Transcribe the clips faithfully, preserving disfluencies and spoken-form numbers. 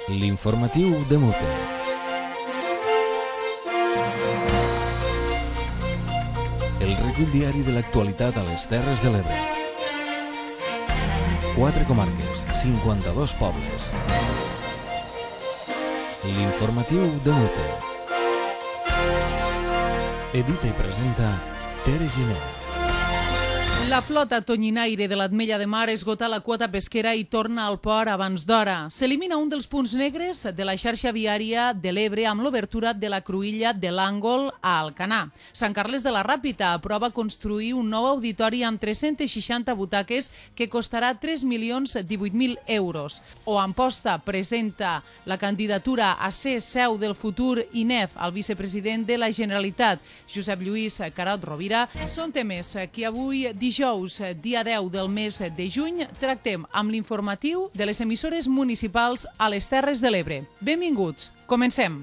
L'informatiu de Mute. El recull diari de l'actualitat a les Terres de l'Ebre. Quatre comarques, cinquanta-dos pobles. L'informatiu de Mute. Edita i presenta Tere Giner. La flota tonyinaire de l'Ametlla de Mar esgota la quota pesquera i torna al port abans d'hora. S'elimina un dels punts negres de la xarxa viària de l'Ebre amb l'obertura de la cruïlla de l'Àngol a Alcanar. Sant Carles de la Ràpita aprova construir un nou auditori amb tres-centes seixanta butaques que costarà tres milions divuit mil euros. O Amposta presenta la candidatura a ser seu del futur I N E F al vicepresident de la Generalitat, Josep Lluís Carod Rovira. Són temes que avui, dijous, dia deu del mes de juny, tractem amb l'informatiu de les emissores municipals a les Terres de l'Ebre. Benvinguts, comencem.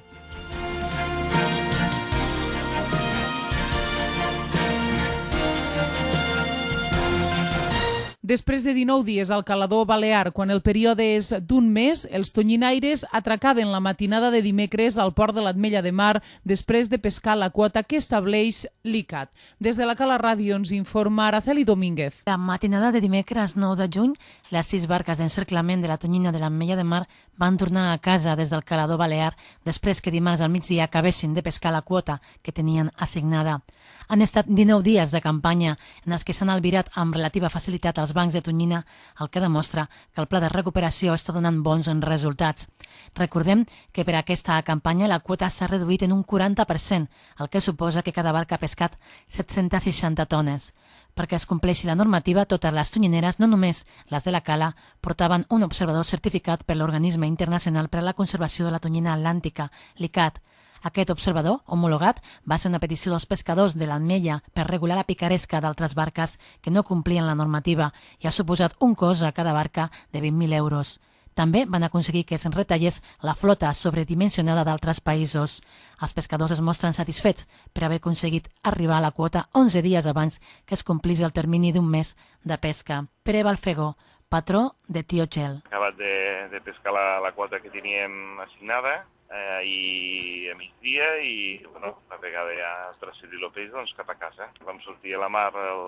Després de dinou dies al calador balear, quan el període és d'un mes, els tonyinaires atracaven la matinada de dimecres al port de l'Ametlla de Mar després de pescar la quota que estableix l'I C A T. Des de la Cala Ràdio ens informa Araceli Domínguez. La matinada de dimecres nou de juny, les sis barques d'encerclament de la tonyina de l'Ametlla de Mar van tornar a casa des del calador balear després que dimarts al migdia acabessin de pescar la quota que tenien assignada. Han estat dinou dies de campanya en els que s'han albirat amb relativa facilitat als bancs de tonyina, el que demostra que el pla de recuperació està donant bons resultats. Recordem que per aquesta campanya la quota s'ha reduït en un quaranta per cent, el que suposa que cada barca ha pescat set-centes seixanta tones. Perquè es compleixi la normativa, totes les tonyineres, no només les de la Cala, portaven un observador certificat per l'Organisme Internacional per a la Conservació de la Tonyina Atlàntica, l'I C A T. Aquest observador, homologat, va ser una petició dels pescadors de l'Ametlla per regular la picaresca d'altres barques que no complien la normativa i ha suposat un cost a cada barca de vint mil euros. També van aconseguir que es retallés la flota sobredimensionada d'altres països. Els pescadors es mostren satisfets per haver aconseguit arribar a la quota onze dies abans que es complís el termini d'un mes de pesca. Pere Balfegó, patró de Tio Txell. Acabat de, de pescar la, la quota que teníem assignada eh, i a migdia i bueno, una vegada ja transferir el peix doncs, cap a casa. Vam sortir a la mar el,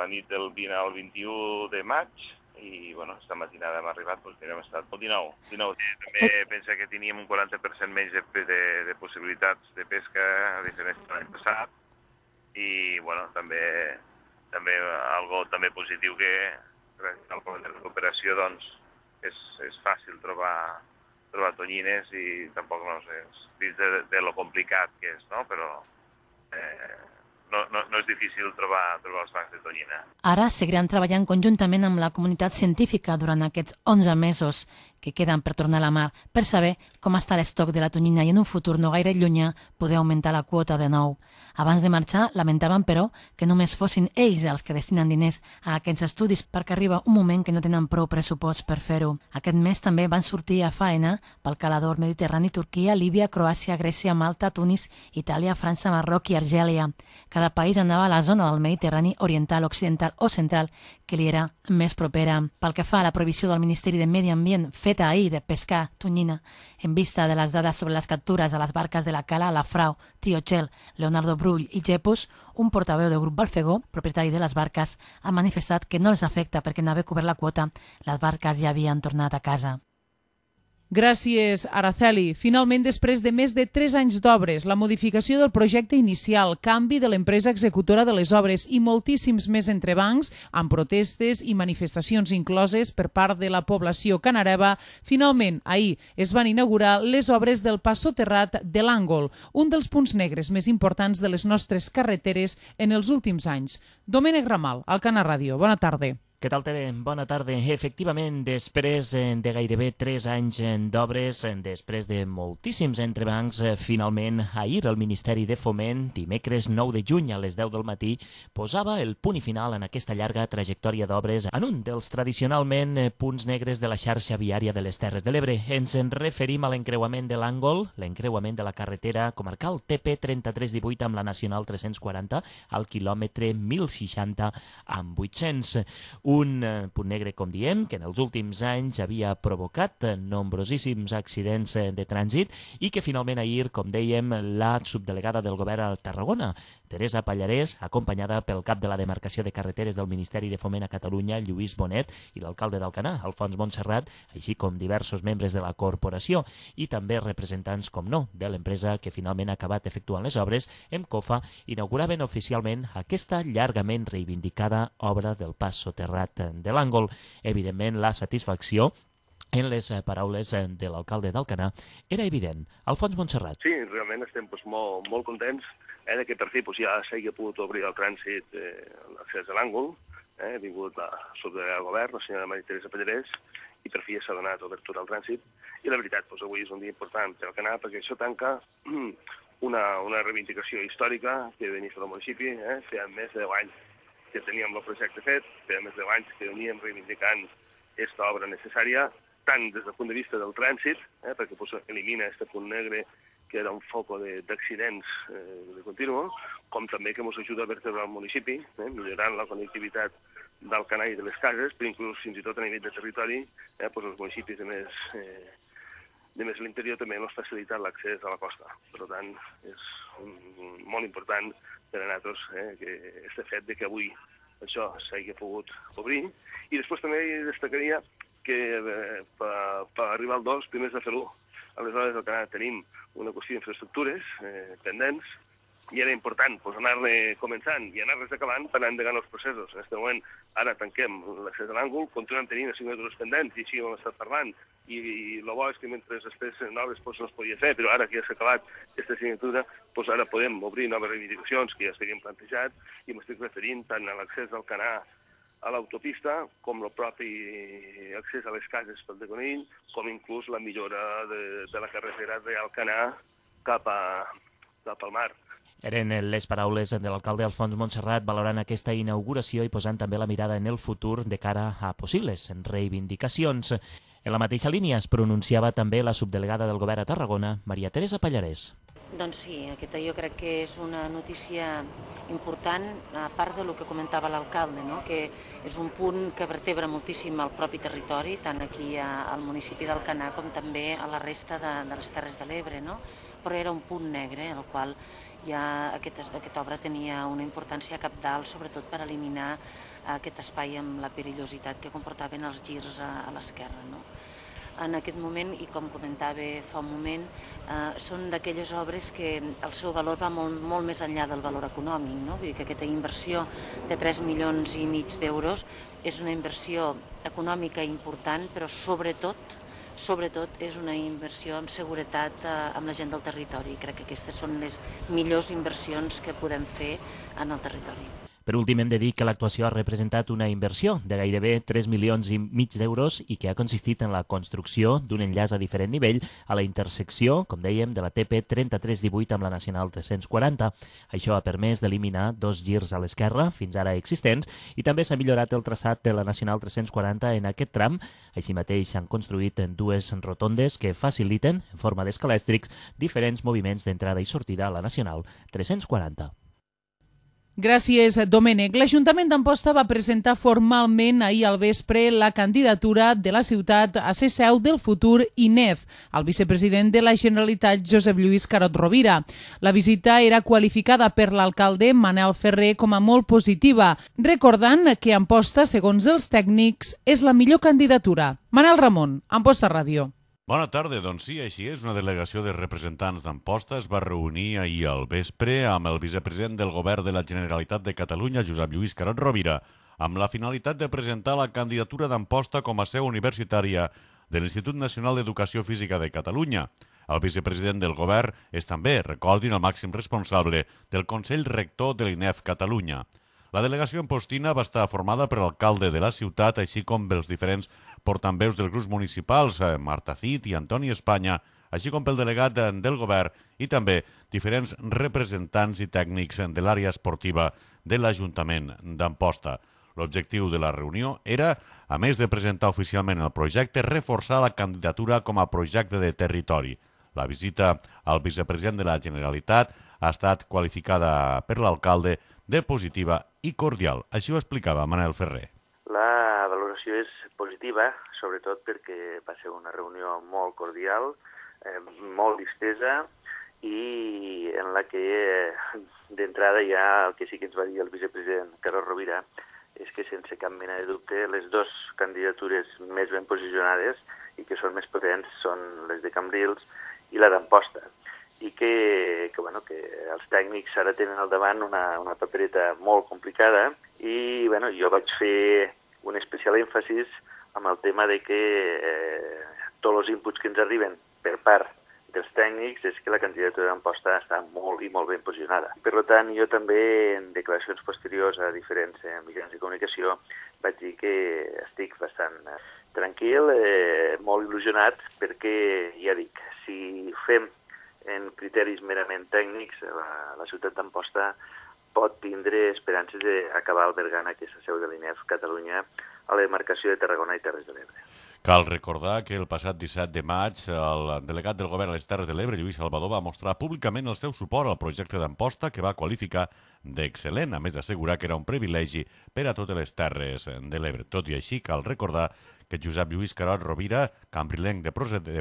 la nit del vint al vint-i-u de maig i bueno, esta matinada hem arribat, doncs mira, hem estat el dinou. dinou. També pensa que teníem un quaranta per cent menys de, de, de possibilitats de pesca a diferència de l'any passat i bueno, també, també algo també positiu que gràcies al pla de recuperació doncs, és, és fàcil trobar, trobar tonyines i tampoc no sé, dins de, de lo complicat que és, no? Però eh, no, no, no és difícil trobar, trobar els bancs de tonyina. Ara seguiran treballant conjuntament amb la comunitat científica durant aquests onze mesos que queden per tornar a la mar per saber com està l'estoc de la tonyina i en un futur no gaire llunyà poder augmentar la quota de nou. Abans de marxar, lamentaven, però, que només fossin ells els que destinen diners a aquests estudis perquè arriba un moment que no tenen prou pressupost per fer-ho. Aquest mes també van sortir a faena pel calador mediterrani Turquia, Líbia, Croàcia, Grècia, Malta, Tunis, Itàlia, França, Marroc i Argèlia. Cada país anava a la zona del Mediterrani oriental, occidental o central que li era més propera. Pel que fa a la prohibició del Ministeri de Medi Ambient feta ahir de pescar tonyina, en vista de les dades sobre les captures a les barques de la Cala, la Frau, Tio Txell, Leonardo Brull i Jepus, un portaveu del grup Balfegó, propietari de les barques, ha manifestat que no els afecta perquè en haver cobert la quota, les barques ja havien tornat a casa. Gràcies, Araceli. Finalment, després de més de tres anys d'obres, la modificació del projecte inicial, canvi de l'empresa executora de les obres i moltíssims més entrebancs, amb protestes i manifestacions incloses per part de la població canareva, finalment, ahir es van inaugurar les obres del pas soterrat de l'Àngol, un dels punts negres més importants de les nostres carreteres en els últims anys. Domènec Ramal, al Cana Ràdio. Bona tarda. Què tal, Tere? Bona tarda. Efectivament, després de gairebé tres anys d'obres, després de moltíssims entrebancs, finalment, ahir el Ministeri de Foment, dimecres nou de juny a les deu del matí, posava el punt i final en aquesta llarga trajectòria d'obres en un dels tradicionalment punts negres de la xarxa viària de les Terres de l'Ebre. Ens en referim a l'encreuament de l'Àngol, l'encreuament de la carretera comarcal T P trenta-tres divuit amb la Nacional tres-cents quaranta al quilòmetre mil seixanta amb vuit-cents. Un eh, punt negre, com diem, que en els últims anys havia provocat eh, nombrosíssims accidents eh, de trànsit i que finalment ahir, com dèiem, la subdelegada del govern a Tarragona, Teresa Pallarès, acompanyada pel cap de la demarcació de carreteres del Ministeri de Foment a Catalunya, Lluís Bonet, i l'alcalde d'Alcanar, Alfons Montserrat, així com diversos membres de la corporació i també representants, com no, de l'empresa que finalment ha acabat efectuant les obres, Emcofa, inauguraven oficialment aquesta llargament reivindicada obra del pas soterrat de l'Àngol. Evidentment, la satisfacció en les paraules de l'alcalde d'Alcanar era evident. Alfons Montserrat. Sí, realment estem doncs, molt, molt contents eh, que per fi doncs, ja s'hagi pogut obrir el trànsit eh, l'accés a l'Àngol. Eh, ha vingut la subdelegada del govern, la senyora Maria Teresa Pallarès, i per fi ja s'ha donat obertura al trànsit. I la veritat, doncs, avui és un dia important per Alcanar perquè això tanca una, una reivindicació històrica que venia del municipi. Eh, feia més de deu anys que teníem el projecte fet, feia més de deu anys que veníem reivindicant aquesta obra necessària, tant des del punt de vista del trànsit, eh, perquè pues, elimina aquest punt negre que era un foco d'accidents eh, de continu, com també que ens ajuda a vertebrar el municipi, eh, millorant la connectivitat d'Alcanar i de les cases, però inclús fins i tot a nivell de territori, eh, pues, els municipis de més, eh, de més l'interior també ens facilitat l'accés a la costa. Per tant, és un, molt important per a nosaltres eh, que este fet de que avui això s'hagi pogut obrir. I després també destacaria que eh, per, per arribar al dos, primers de fer l'u. Aleshores, al Canadà tenim una qüestió d'infraestructures eh, pendents i era important pues, anar-ne començant i anar-les acabant per anar endegant els processos. En aquest moment, ara tanquem l'accés a l'Àngol, continuem tenint assignatures pendents i així ho hem estat parlant. I, i el bo és que mentre després noves pues, no es podia fer, però ara que ja s'ha acabat aquesta assignatura, pues, ara podem obrir noves reivindicacions que ja s'havien plantejat i m'estic referint tant a l'accés al Canà a l'autopista, com el propi accés a les cases pel de Conill, com inclús la millora de, de la carretera d'Alcanar cap, a, cap al mar. Eren les paraules de l'alcalde Alfons Montserrat valorant aquesta inauguració i posant també la mirada en el futur de cara a possibles reivindicacions. En la mateixa línia es pronunciava també la subdelegada del govern a Tarragona, Maria Teresa Pallarès. Doncs sí, aquesta jo crec que és una notícia important, a part del que comentava l'alcalde, no? Que és un punt que vertebra moltíssim el propi territori, tant aquí a, al municipi d'Alcanar com també a la resta de, de les Terres de l'Ebre, no? Però era un punt negre, en el qual ja aquest, aquesta obra tenia una importància cabdal, sobretot per eliminar aquest espai amb la perillositat que comportaven els girs a, a l'esquerra, no? En aquest moment, i com comentava fa un moment, eh, són d'aquelles obres que el seu valor va molt, molt més enllà del valor econòmic, no? Vull dir que aquesta inversió de tres milions i mig d'euros és una inversió econòmica important, però sobretot, sobretot és una inversió amb seguretat eh, amb la gent del territori. Crec que aquestes són les millors inversions que podem fer en el territori. Per últim, hem de dir que l'actuació ha representat una inversió de gairebé tres milions i mig d'euros i que ha consistit en la construcció d'un enllaç a diferent nivell a la intersecció, com dèiem, de la T P trenta-tres divuit amb la Nacional tres-cents quaranta. Això ha permès d'eliminar dos girs a l'esquerra, fins ara existents, i també s'ha millorat el traçat de la Nacional tres-cents quaranta en aquest tram. Així mateix s'han construït dues rotondes que faciliten, en forma d'escalèstrics, diferents moviments d'entrada i sortida a la Nacional tres-cents quaranta. Gràcies, Domènec. L'Ajuntament d'Amposta va presentar formalment ahir al vespre la candidatura de la ciutat a ser seu del futur I N E F, el vicepresident de la Generalitat, Josep Lluís Carod Rovira. La visita era qualificada per l'alcalde Manel Ferrer com a molt positiva, recordant que Amposta, segons els tècnics, és la millor candidatura. Manel Ramon, Amposta Ràdio. Bona tarda, doncs sí, així és. Una delegació de representants d'Amposta es va reunir ahir al vespre amb el vicepresident del Govern de la Generalitat de Catalunya, Josep Lluís Carod Rovira, amb la finalitat de presentar la candidatura d'Amposta com a seu universitària de l'Institut Nacional d'Educació Física de Catalunya. El vicepresident del Govern és també, recordin, el màxim responsable del Consell Rector de l'I N E F Catalunya. La delegació ampostina va estar formada per l'alcalde de la ciutat, així com pels diferents portaveus dels grups municipals, Marta Cid i Antoni Espanya, així com pel delegat del govern i també diferents representants i tècnics de l'àrea esportiva de l'Ajuntament d'Amposta. L'objectiu de la reunió era, a més de presentar oficialment el projecte, reforçar la candidatura com a projecte de territori. La visita al vicepresident de la Generalitat ha estat qualificada per l'alcalde de positiva i cordial. Així ho explicava Manel Ferrer. La valoració és positiva, sobretot perquè va ser una reunió molt cordial, eh, molt distesa, i en la que eh, d'entrada ja el que sí que ens va dir el vicepresident Carod Rovira és que sense cap mena de dubte les dues candidatures més ben posicionades i que són més potents són les de Cambrils i la d'Amposta, i que, que, bueno, que els tècnics ara tenen al davant una, una papereta molt complicada, i bueno, jo vaig fer un especial èmfasis amb el tema de que eh, tots els inputs que ens arriben per part dels tècnics és que la candidatura d'Amposta està molt i molt ben posicionada. Per tant, jo també, en declaracions posteriors a diferents eh, mitjans de comunicació, vaig dir que estic bastant eh, tranquil, eh, molt il·lusionat, perquè, ja dic, si fem en criteris merament tècnics, la, la ciutat d'Amposta pot tindre esperances d'acabar albergant aquesta seu de l'I N E F Catalunya a la demarcació de Tarragona i Terres de l'Ebre. Cal recordar que el passat disset de maig el delegat del govern a les Terres de l'Ebre, Lluís Salvador, va mostrar públicament el seu suport al projecte d'Amposta, que va qualificar d'excel·lent, a més d'assegurar que era un privilegi per a totes les Terres de l'Ebre. Tot i així, cal recordar que Josep Lluís Carod Rovira, cambrilenc de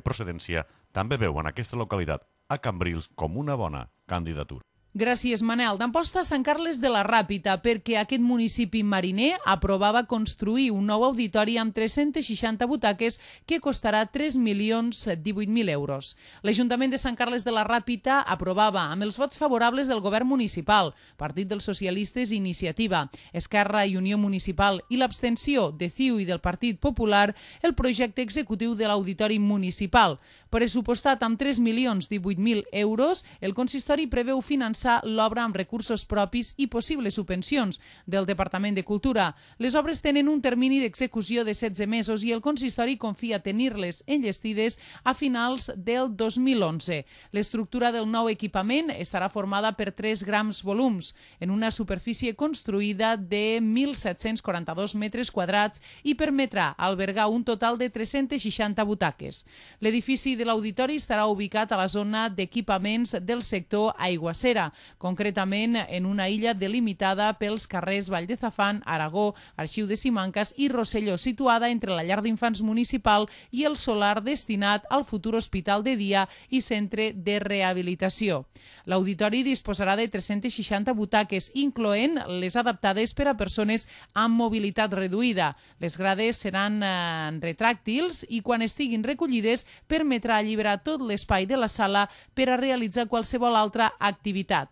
procedència, també veu en aquesta localitat a Cambrils com una bona candidatura. Gràcies, Manel. D'Amposta a Sant Carles de la Ràpita, perquè aquest municipi mariner aprovava construir un nou auditori amb tres-centes seixanta butaques que costarà tres milions divuit mil euros. L'Ajuntament de Sant Carles de la Ràpita aprovava, amb els vots favorables del govern municipal, Partit dels Socialistes i Iniciativa, Esquerra i Unió Municipal i l'abstenció de C I U i del Partit Popular, el projecte executiu de l'auditori municipal. Pressupostat amb tres milions divuit mil euros, el consistori preveu finançar l'obra amb recursos propis i possibles subvencions del Departament de Cultura. Les obres tenen un termini d'execució de setze mesos i el consistori confia tenir-les enllestides a finals del dos mil onze. L'estructura del nou equipament estarà formada per tres grans volums, en una superfície construïda de mil set-cents quaranta-dos metres quadrats i permetrà albergar un total de tres-centes seixanta butaques. L'edifici de l'auditori estarà ubicat a la zona d'equipaments del sector Aiguacera, concretament en una illa delimitada pels carrers Vall de Zafán, Aragó, Arxiu de Simancas i Rosselló, situada entre la llar d'infants municipal i el solar destinat al futur hospital de dia i centre de rehabilitació. L'auditori disposarà de tres-centes seixanta butaques, incloent les adaptades per a persones amb mobilitat reduïda. Les grades seran eh, retràctils i quan estiguin recollides permetrà alliberar tot l'espai de la sala per a realitzar qualsevol altra activitat.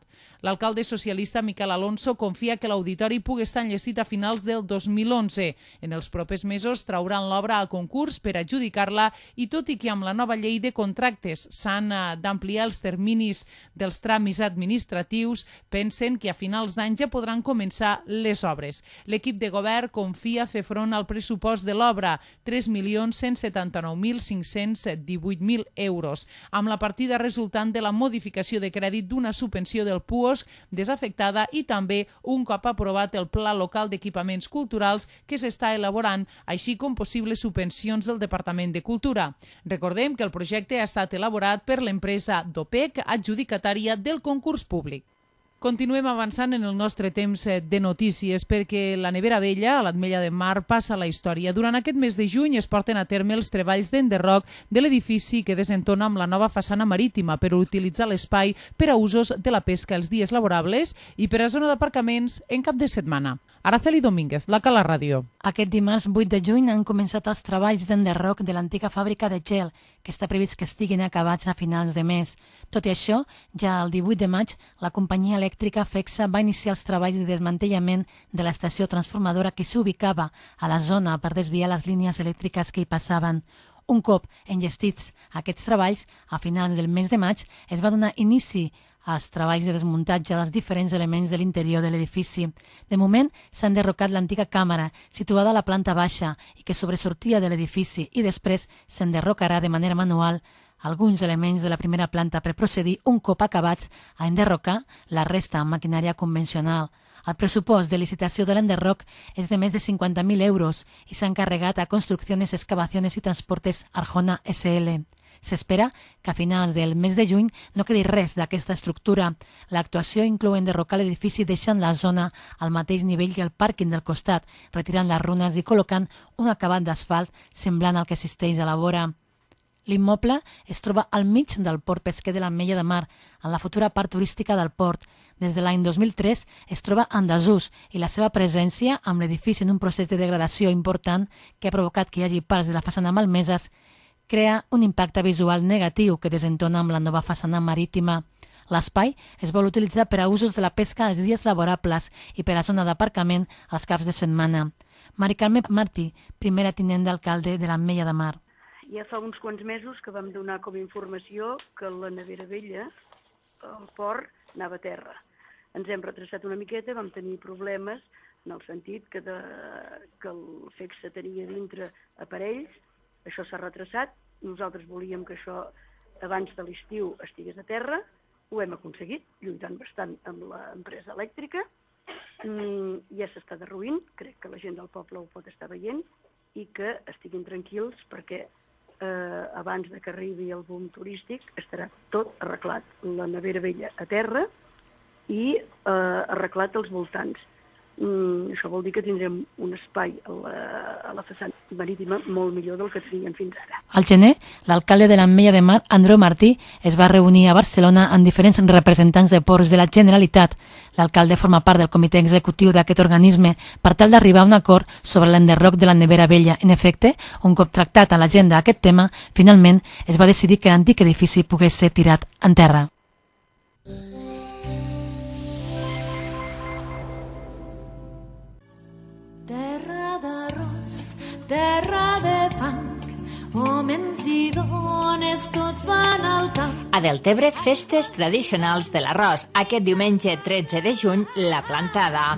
L'alcalde socialista Miquel Alonso confia que l'auditori pugui estar enllestit a finals del dos mil onze. En els propers mesos trauran l'obra a concurs per adjudicar-la i tot i que amb la nova llei de contractes s'han d'ampliar els terminis dels tràmits administratius, pensen que a finals d'any ja podran començar les obres. L'equip de govern confia fer front al pressupost de l'obra, tres milions cent setanta-nou mil cinc-cents divuit mil euros, amb la partida resultant de la modificació de crèdit d'una subvenció del P U O S desafectada i també un cop aprovat el Pla Local d'Equipaments Culturals que s'està elaborant, així com possibles subvencions del Departament de Cultura. Recordem que el projecte ha estat elaborat per l'empresa Dopec, adjudicatària del concurs públic. Continuem avançant en el nostre temps de notícies perquè la Nevera Vella, a l'Ametlla de Mar, passa a la història. Durant aquest mes de juny es porten a terme els treballs d'enderroc de l'edifici que desentona amb la nova façana marítima per utilitzar l'espai per a usos de la pesca els dies laborables i per a zona d'aparcaments en cap de setmana. Araceli Domínguez, la Cala Ràdio. Aquest dimarts vuit de juny han començat els treballs d'enderroc de l'antiga fàbrica de gel, que està previst que estiguin acabats a finals de mes. Tot i això, ja el divuit de maig, la companyia elèctrica FEXA va iniciar els treballs de desmantellament de l'estació transformadora que s'ubicava a la zona per desviar les línies elèctriques que hi passaven. Un cop enllestits aquests treballs, a finals del mes de maig, es va donar inici als treballs de desmuntatge dels diferents elements de l'interior de l'edifici. De moment, s'ha enderrocat l'antiga càmera, situada a la planta baixa i que sobresortia de l'edifici, i després s'enderrocarà de manera manual alguns elements de la primera planta per procedir, un cop acabats, a enderrocar la resta amb maquinària convencional. El pressupost de licitació de l'enderroc és de més de cinquanta mil euros i s'ha encarregat a Construcciones, Excavaciones i Transportes Arjona S L. S'espera que a finals del mes de juny no quedi res d'aquesta estructura. L'actuació inclou enderrocar l'edifici deixant la zona al mateix nivell que el pàrquing del costat, retirant les runes i col·locant un acabat d'asfalt semblant al que existeix a la vora. L'immoble es troba al mig del port pesquer de l'Ametlla de Mar, en la futura part turística del port. Des de l'any dos mil tres es troba en desús i la seva presència amb l'edifici en un procés de degradació important que ha provocat que hi hagi parts de la façana malmeses crea un impacte visual negatiu que desentona amb la nova façana marítima. L'espai es vol utilitzar per a usos de la pesca als dies laborables i per a zona d'aparcament als caps de setmana. Mari Carme Martí, primera tinent d'alcalde de l'Ametlla de Mar. Ja fa uns quants mesos que vam donar com a informació que la nevera vella, el port, anava a terra. Ens hem retrasat una miqueta, vam tenir problemes en el sentit que, de, que el F E C S tenia dintre aparells, això s'ha retrasat, nosaltres volíem que això abans de l'estiu estigués a terra, ho hem aconseguit, lluitant bastant amb l'empresa elèctrica, mm, ja s'està derruint, crec que la gent del poble ho pot estar veient, i que estiguin tranquils perquè eh, abans de que arribi el boom turístic estarà tot arreglat, la nevera vella a terra i eh, arreglat als voltants. Mm, això vol dir que tindrem un espai a la, a la façana marítima molt millor del que teníem fins ara. Al gener, l'alcalde de l'Ametlla de Mar, Andreu Martí, es va reunir a Barcelona amb diferents representants de ports de la Generalitat. L'alcalde forma part del comitè executiu d'aquest organisme per tal d'arribar a un acord sobre l'enderroc de la nevera vella. En efecte, un cop tractat a l'agenda aquest tema, finalment es va decidir que l'antic edifici pogués ser tirat en terra. Terra de fang, homens i dones, tots van al camp. A Deltebre, festes tradicionals de l'arròs. Aquest diumenge tretze de juny, la plantada.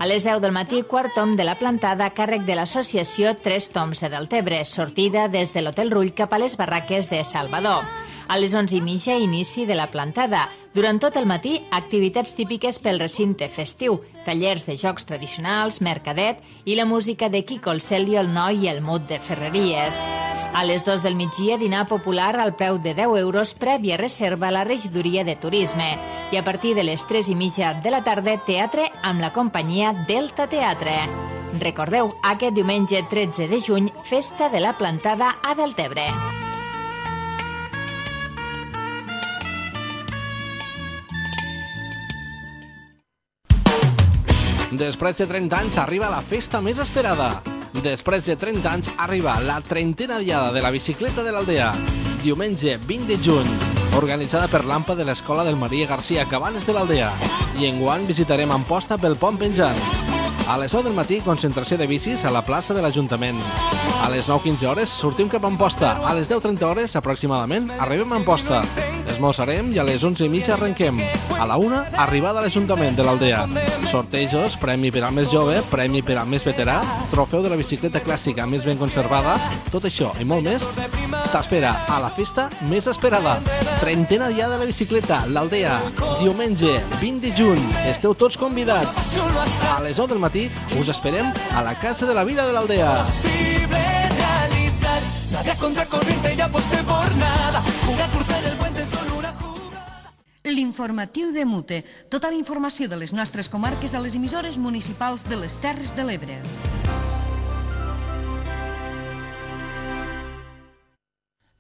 A les deu del matí, quart tom de la plantada a càrrec de l'associació Tres Toms de Deltebre, sortida des de l'Hotel Rull cap a les barraques de Salvador. A les onze i mitja, inici de la plantada. Durant tot el matí, activitats típiques pel recinte festiu, tallers de jocs tradicionals, mercadet i la música de Quico el Celio, el Noi i el Mut de Ferreries. A les dues del migdia, dinar popular al preu de deu euros prèvia reserva a la regidoria de turisme. I a partir de les tres i mitja de la tarda, teatre amb la companyia Delta Teatre. Recordeu, aquest diumenge tretze de juny, festa de la plantada a Deltebre. Després de trenta anys arriba la festa més esperada. Després de trenta anys arriba la trentena diada de la bicicleta de l'Aldea. Diumenge vint de juny, organitzada per l'Ampa de l'Escola del Maria Garcia Cabanes de l'Aldea. I enguany visitarem Amposta pel Pont Penjant. A les nou del matí, concentració de bicis a la plaça de l'Ajuntament. A les nou quinze hores sortim cap a Amposta. A les deu trenta hores, aproximadament, arribem a Amposta. Esmorzarem i a les onze i mitja arrenquem. A la una, arribada a l'Ajuntament de l'Aldea. Sortejos, premi per al més jove, premi per al més veterà, trofeu de la bicicleta clàssica més ben conservada, tot això i molt més t'espera a la festa més esperada. Trentena diada de la bicicleta, l'Aldea, diumenge vint de juny. Esteu tots convidats. A les nou del matí us esperem a la Casa de la Vila de l'Aldea. Nada contra corriente y aposté por nada. Jugar cruzar el puente solo una jugada. L'informatiu de Mute. Tota la informació de les nostres comarques a les emissores municipals de les Terres de l'Ebre.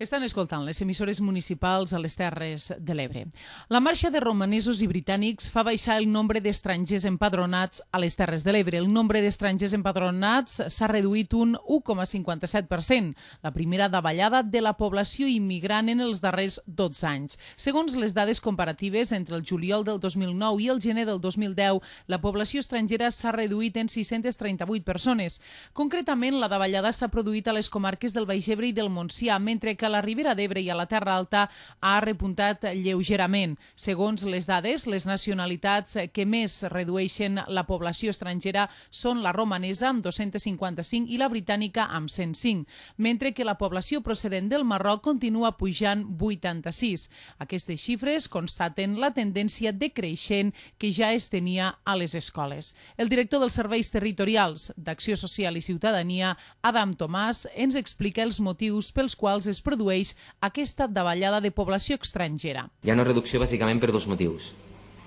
Estan escoltant les emissores municipals a les Terres de l'Ebre. La marxa de romanesos i britànics fa baixar el nombre d'estrangers empadronats a les Terres de l'Ebre. El nombre d'estrangers empadronats s'ha reduït un u coma cinquanta-set per cent, la primera davallada de la població immigrant en els darrers dotze anys. Segons les dades comparatives, entre el juliol del dos mil nou i el gener del dos mil deu, la població estrangera s'ha reduït en sis-centes trenta-vuit persones. Concretament, la davallada s'ha produït a les comarques del Baix Ebre i del Montsià, mentre que a la Ribera d'Ebre i a la Terra Alta ha repuntat lleugerament. Segons les dades, les nacionalitats que més redueixen la població estrangera són la romanesa, amb dos-cents cinquanta-cinc, i la britànica, amb cent cinc, mentre que la població procedent del Marroc continua pujant vuitanta-sis. Aquestes xifres constaten la tendència decreixent que ja es tenia a les escoles. El director dels Serveis Territorials d'Acció Social i Ciutadania, Adam Tomàs, ens explica els motius pels quals es produeix produeix aquesta davallada de població estrangera. Hi ha una reducció bàsicament per dos motius.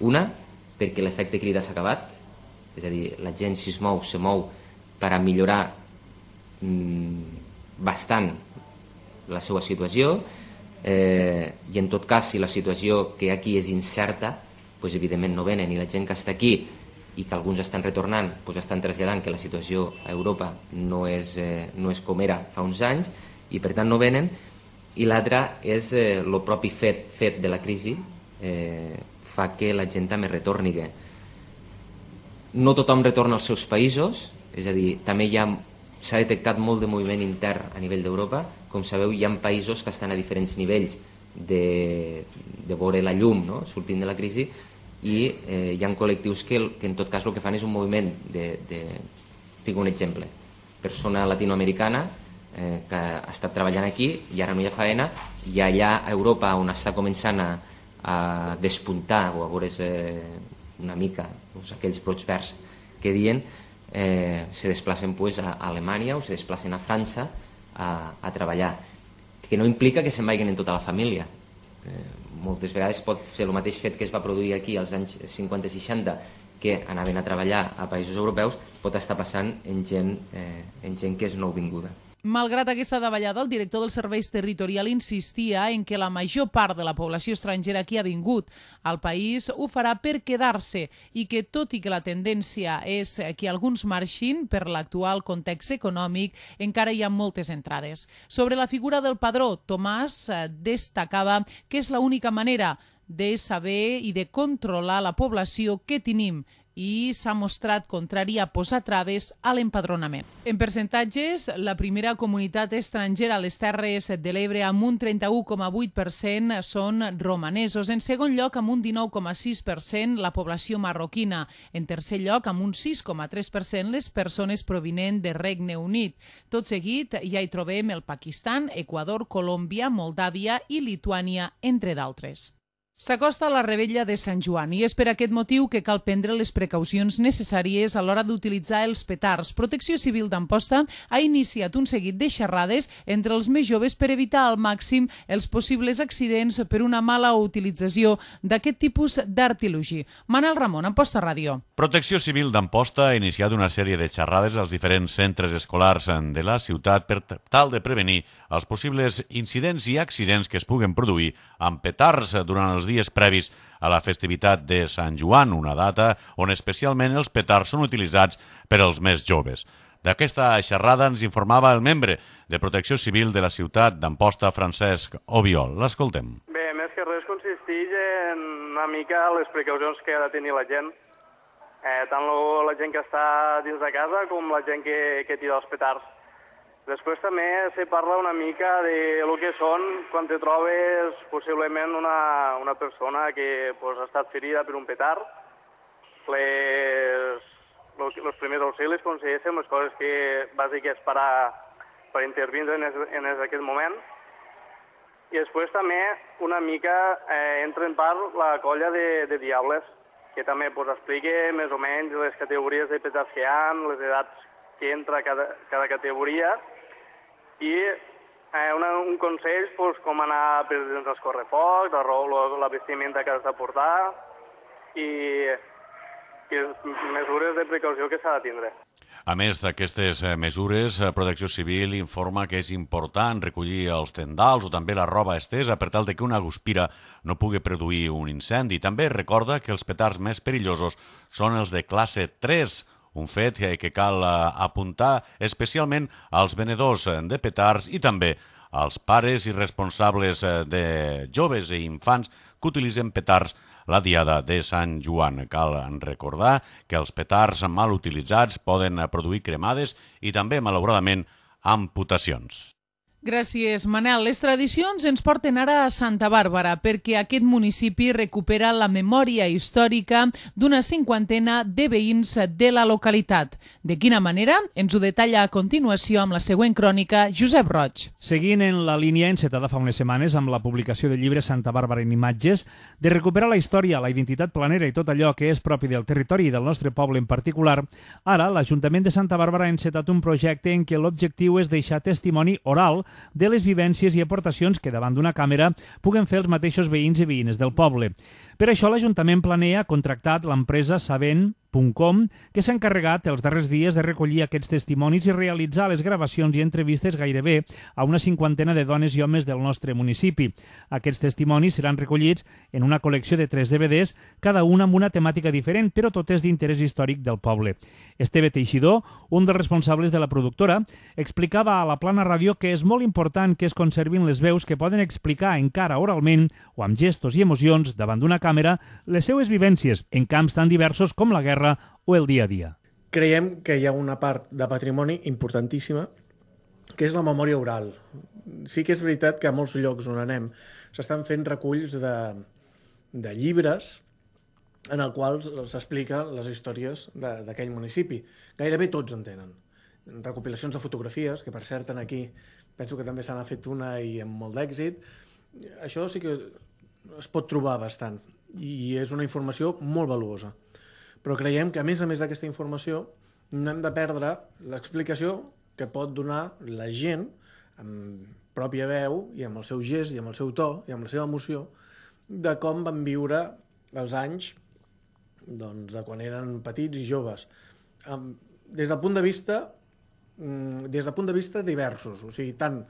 Una, perquè l'efecte crida s'ha acabat, és a dir, la gent si es mou, se mou per a millorar mmm, bastant la seva situació, eh, i en tot cas, si la situació que aquí és incerta, doncs evidentment no venen, i la gent que està aquí i que alguns estan retornant, doncs estan traslladant que la situació a Europa no és, eh, no és com era fa uns anys, i per tant no venen. I l'altre és el eh, propi fet, fet de la crisi, eh, fa que la gent també retorni. No tothom retorna als seus països, és a dir, també hi ha, s'ha detectat molt de moviment intern a nivell d'Europa. Com sabeu, hi ha països que estan a diferents nivells de, de veure la llum, no?, sortint de la crisi, i eh, hi ha col·lectius que, que en tot cas el que fan és un moviment de, de fico un exemple, persona latinoamericana eh, que ha estat treballant aquí i ara no hi ha feina, i allà a Europa on està començant a, a despuntar o a veure's eh, una mica doncs, aquells brots verds que diuen, eh, se desplacen pues, a Alemanya o se desplacen a França a, a treballar, que no implica que se'n vagin en tota la família. Eh, moltes vegades pot ser el mateix fet que es va produir aquí als anys cinquanta i seixanta, que anaven a treballar a països europeus, pot estar passant en gent, eh, en gent que és nouvinguda. Malgrat aquesta davallada, el director dels serveis territorials insistia en que la major part de la població estrangera que ha vingut al país ho farà per quedar-se i que, tot i que la tendència és que alguns marxin per l'actual context econòmic, encara hi ha moltes entrades. Sobre la figura del padró, Tomàs destacava que és l'única manera de saber i de controlar la població que tenim, i s'ha mostrat contrari a posar traves a l'empadronament. En percentatges, la primera comunitat estrangera a les Terres de l'Ebre amb un trenta-u coma vuit per cent són romanesos. En segon lloc, amb un dinou coma sis per cent, la població marroquina. En tercer lloc, amb un sis coma tres per cent, les persones provinents de Regne Unit. Tot seguit, ja hi trobem el Pakistan, Equador, Colòmbia, Moldàvia i Lituània, entre d'altres. S'acosta la revetlla de Sant Joan i és per aquest motiu que cal prendre les precaucions necessàries a l'hora d'utilitzar els petards. Protecció Civil d'Amposta ha iniciat un seguit de xerrades entre els més joves per evitar al màxim els possibles accidents per una mala utilització d'aquest tipus d'artilugi. Manel Ramon, Amposta Ràdio. Protecció Civil d'Amposta ha iniciat una sèrie de xerrades als diferents centres escolars de la ciutat per tal de prevenir els possibles incidents i accidents que es puguen produir amb petards durant els dies previs a la festivitat de Sant Joan, una data on especialment els petards són utilitzats per als més joves. D'aquesta xerrada ens informava el membre de Protecció Civil de la ciutat d'Amposta, Francesc Obiol. L'escoltem. Bé, més que res consisteix en una mica les precaucions que ha de tenir la gent, eh, tant la gent que està dins de casa com la gent que, que tira els petards. Després també se parla una mica de lo que són quan te trobes possiblement una, una persona que pues, ha estat ferida per un petard. Les, los, los primers auxilis, com se dice, les coses que bàsiques per, a, per intervindre en, es, en es, aquest moment. I després també una mica eh, entra en part la colla de, de diables, que també pues, explica més o menys les categories de petards que hi ha, les edats que entra cada, cada categoria, i eh, una, un consell pues, com anar per dins els correfocs, la, la vestimenta que has de portar i, i mesures de precaució que s'ha de tindre. A més d'aquestes mesures, Protecció Civil informa que és important recollir els tendals o també la roba estesa per tal de que una guspira no pugui produir un incendi. També recorda que els petards més perillosos són els de classe tres, un fet que cal apuntar especialment als venedors de petards i també als pares i responsables de joves i infants que utilitzen petards la diada de Sant Joan. Cal recordar que els petards mal utilitzats poden produir cremades i també, malauradament, amputacions. Gràcies, Manel. Les tradicions ens porten ara a Santa Bàrbara perquè aquest municipi recupera la memòria històrica d'una cinquantena de veïns de la localitat. De quina manera? Ens ho detalla a continuació amb la següent crònica Josep Roig. Seguint en la línia encetada fa unes setmanes amb la publicació del llibre Santa Bàrbara en imatges, de recuperar la història, la identitat planera i tot allò que és propi del territori i del nostre poble en particular, ara l'Ajuntament de Santa Bàrbara ha encetat un projecte en què l'objectiu és deixar testimoni oral de les vivències i aportacions que davant d'una càmera puguen fer els mateixos veïns i veïnes del poble. Per això l'Ajuntament planea ha contractat l'empresa Sabent punt com, que s'ha encarregat els darrers dies de recollir aquests testimonis i realitzar les gravacions i entrevistes gairebé a una cinquantena de dones i homes del nostre municipi. Aquests testimonis seran recollits en una col·lecció de tres D V Ds, cada una amb una temàtica diferent, però totes d'interès històric del poble. Esteve Teixidor, un dels responsables de la productora, explicava a la Plana Ràdio que és molt important que es conservin les veus que poden explicar encara oralment o amb gestos i emocions davant d'una càmera les seues vivències en camps tan diversos com la guerra o el dia a dia. Creiem que hi ha una part de patrimoni importantíssima, que és la memòria oral. Sí que és veritat que a molts llocs on anem s'estan fent reculls de, de llibres en el qual s'expliquen les històries d'aquell municipi. Gairebé tots en tenen. Recopilacions de fotografies, que per cert aquí penso que també se n'ha fet una i amb molt d'èxit. Això sí que es pot trobar bastant i és una informació molt valuosa. Però creiem que, a més a més d'aquesta informació, no hem de perdre l'explicació que pot donar la gent amb pròpia veu i amb el seu gest i amb el seu to i amb la seva emoció de com van viure els anys doncs, de quan eren petits i joves. Des del punt de vista, des del punt de vista diversos, o sigui, tant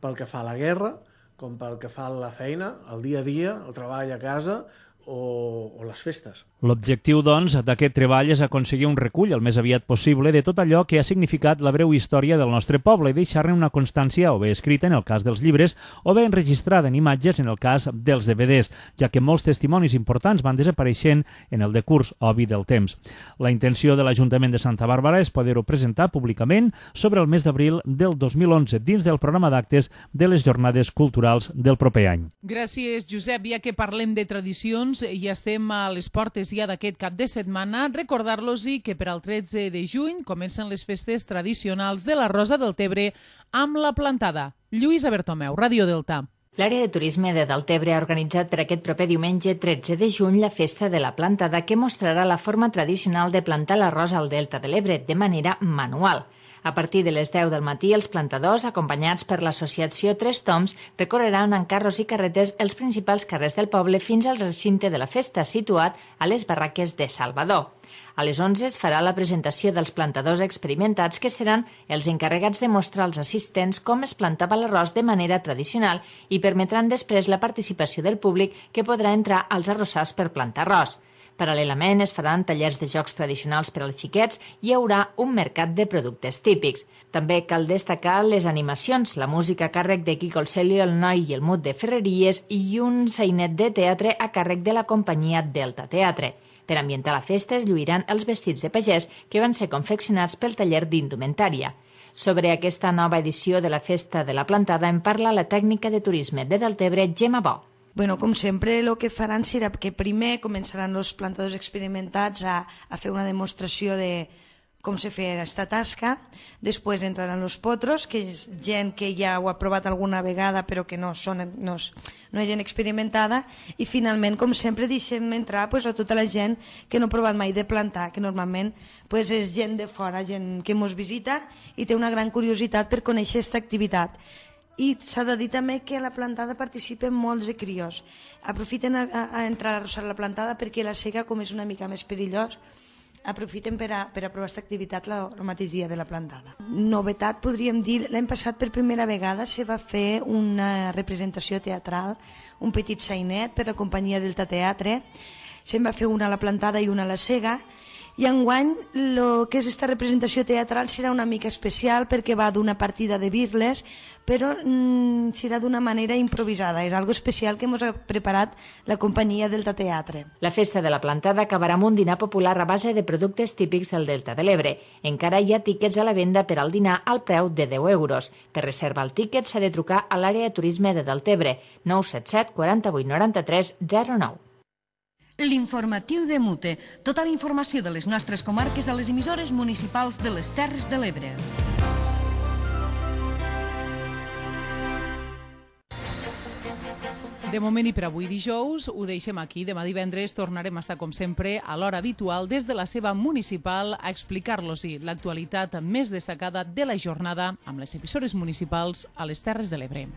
pel que fa a la guerra com pel que fa a la feina, el dia a dia, el treball a casa o, o les festes. L'objectiu, doncs, d'aquest treball és aconseguir un recull el més aviat possible de tot allò que ha significat la breu història del nostre poble i deixar-ne una constància o bé escrita en el cas dels llibres o bé enregistrada en imatges en el cas dels D V Ds, ja que molts testimonis importants van desapareixent en el decurs obvi del temps. La intenció de l'Ajuntament de Santa Bàrbara és poder-ho presentar públicament sobre el mes d'abril del dos mil onze dins del programa d'actes de les Jornades Culturals del proper any. Gràcies, Josep. Ja que parlem de tradicions i estem a les portes ja d'aquest cap de setmana, recordar-los-hi que per al tretze de juny comencen les festes tradicionals de la Rosa del Tebre amb la plantada. Lluïsa Bertomeu, Ràdio Delta. L'àrea de turisme de Deltebre ha organitzat per aquest proper diumenge tretze de juny la festa de la plantada que mostrarà la forma tradicional de plantar l'arròs al Delta de l'Ebre de manera manual. A partir de les deu del matí, els plantadors, acompanyats per l'associació Tres Toms, recorreran en carros i carretes els principals carrers del poble fins al recinte de la festa, situat a les barraques de Salvador. A les onze es farà la presentació dels plantadors experimentats que seran els encarregats de mostrar als assistents com es plantava l'arròs de manera tradicional i permetran després la participació del públic que podrà entrar als arrossars per plantar arròs. Paral·lelament es faran tallers de jocs tradicionals per als xiquets i hi haurà un mercat de productes típics. També cal destacar les animacions, la música a càrrec de Quico el Celio, el Noi i el Mut de Ferreries i un sainet de teatre a càrrec de la companyia Delta Teatre. Per ambientar la festa es lluiran els vestits de pagès que van ser confeccionats pel taller d'indumentària. Sobre aquesta nova edició de la Festa de la Plantada en parla la tècnica de turisme de Deltebre, Gemma Bo. Bueno, com sempre, el que faran serà que primer començaran els plantadors experimentats a, a fer una demostració de com se fa aquesta tasca, després entraran els potros, que és gent que ja ho ha provat alguna vegada però que no, són, no, no és gent experimentada, i finalment, com sempre, deixem entrar pues, a tota la gent que no ha provat mai de plantar, que normalment pues, és gent de fora, gent que ens visita i té una gran curiositat per conèixer aquesta activitat. I s'ha de dir també que a la plantada participen molts de crios. Aprofiten a, a entrar a arrossar la plantada perquè la sega, com és una mica més perillós, aprofiten per a, per a provar aquesta activitat la, el mateix dia de la plantada. Novetat, podríem dir, l'any passat per primera vegada se va fer una representació teatral, un petit sainet per la companyia Delta Teatre, se'n va fer una a la plantada i una a la sega, i enguany el que és aquesta representació teatral serà una mica especial perquè va d'una partida de birles, però mm, serà d'una manera improvisada. És algo especial que ens ha preparat la companyia Delta Teatre. La festa de la plantada acabarà amb un dinar popular a base de productes típics del Delta de l'Ebre. Encara hi ha tíquets a la venda per al dinar al preu de deu euros. Per reservar el tíquet s'ha de trucar a l'àrea de turisme de Deltebre, nou set set quaranta-vuit noranta-tres zero nou. L'informatiu de Mute. Tota la informació de les nostres comarques a les emissores municipals de les Terres de l'Ebre. De moment i per avui dijous ho deixem aquí. Demà divendres tornarem a estar com sempre a l'hora habitual des de la seva municipal a explicar-los-hi l'actualitat més destacada de la jornada amb les emissores municipals a les Terres de l'Ebre.